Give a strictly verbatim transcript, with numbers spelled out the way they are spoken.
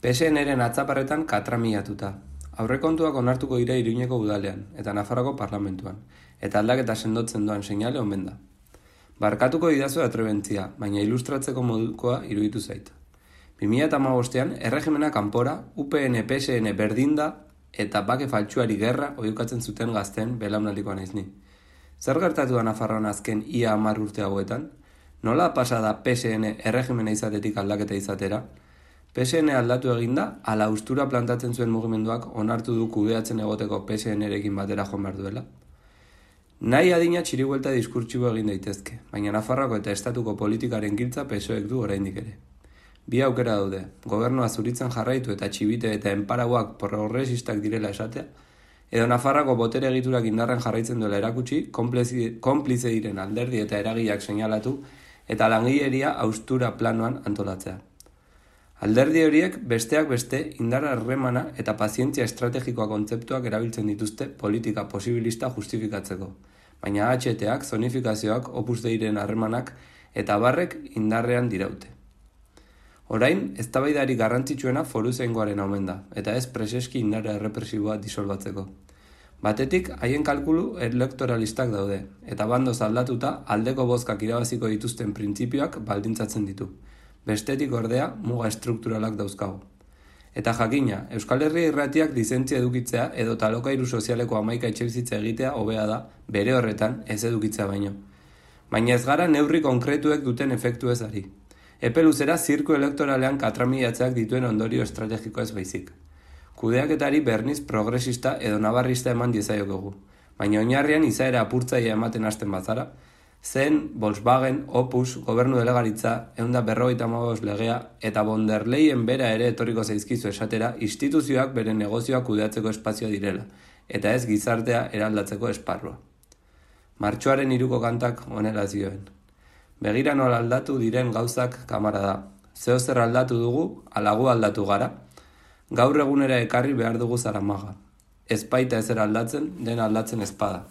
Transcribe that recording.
P S N-ren atzaparretan katramilatuta. Aurrekontuak onartuko dira Iruñeko udalean eta Nafarroako parlamentuan, eta aldaketa sendotzen doan seinale omen da. Barkatuko didazu atrebentzia, baina ilustratzeko modukoa iruditu zait. bi mila hamabostean erregimena kanpora, U P N P S N berdinda eta bake faltsuari gerra oihukatzen zuten gazten belaunaldikoa naiz ni. Zer gertatu da Nafarroan azken ia hamar urte hauetan? Nola pasa da P S N erregimena izatetik aldaketa izatera? P S N aldatu eginda, ala austura plantatzen zuen mugimenduak onartu du kudeatzen egoteko P S N-rekin batera joan behar duela? Nahi adina txiribuelta diskurtsibo egin daitezke, baina Nafarroako eta estatuko politikaren giltza P S O-ek du oraindik ere. Bi aukera daude, gobernua zuritzen jarraitu eta txibite eta enparauak progresistak direla esatea, edo Nafarroako botere egiturak indarren jarraitzen duela erakutsi, konplize diren alderdi eta eragileak seinalatu eta langileria austura planoan antolatzea. Alderdi horiek besteak beste indar harremana eta pazientzia estrategikoa kontzeptuak erabiltzen dituzte politika posibilista justifikatzeko, baina H T-ak, zonifikazioak, Opus Deiren harremanak eta barrek indarrean diraute. Orain, eztabaidari garrantzitsuena foruzaingoaren omen da, eta ez preseski indarra errepresiboa disolbatzeko. Batetik, haien kalkulu elektoralistak daude, eta bandoz aldatuta aldeko bozkak irabaziko dituzten printzipioak baldintzatzen ditu. Bestetik ordea, muga estrukturalak dauzkagu. Eta jakina, Euskal Herria irratiak lizentzia edukitzea edo talokairu sozialeko hamaika etxebizitza egitea hobea da, bere horretan ez edukitzea baino. Baina ez gara neurri konkretuek duten efektu ez ari. Epe luzera zirku elektoralean katramilatzeak dituen ondorio estrategiko ez baizik. Kudeaketari berniz progresista edo nabarrista eman diezaiokegu, baina oinarrian izaera apurtzaia ematen hasten bazara, zen, Volkswagen, Opus, gobernu delegaritza, ehun eta berrogeita hamabost legea eta von der Leyen bera ere etorriko zaizkizu esatera instituzioak bere negozioak kudeatzeko espazioa direla, eta ez gizartea eraldatzeko esparrua. Martxoaren hiruko kantak honela zioen. Begira nola aldatu diren gauzak kamara da. Zeo zer aldatu dugu, alagu aldatu gara. Gaur egunera ekarri behar dugu zaramaga. Ez baita ezer aldatzen, den aldatzen ezpada.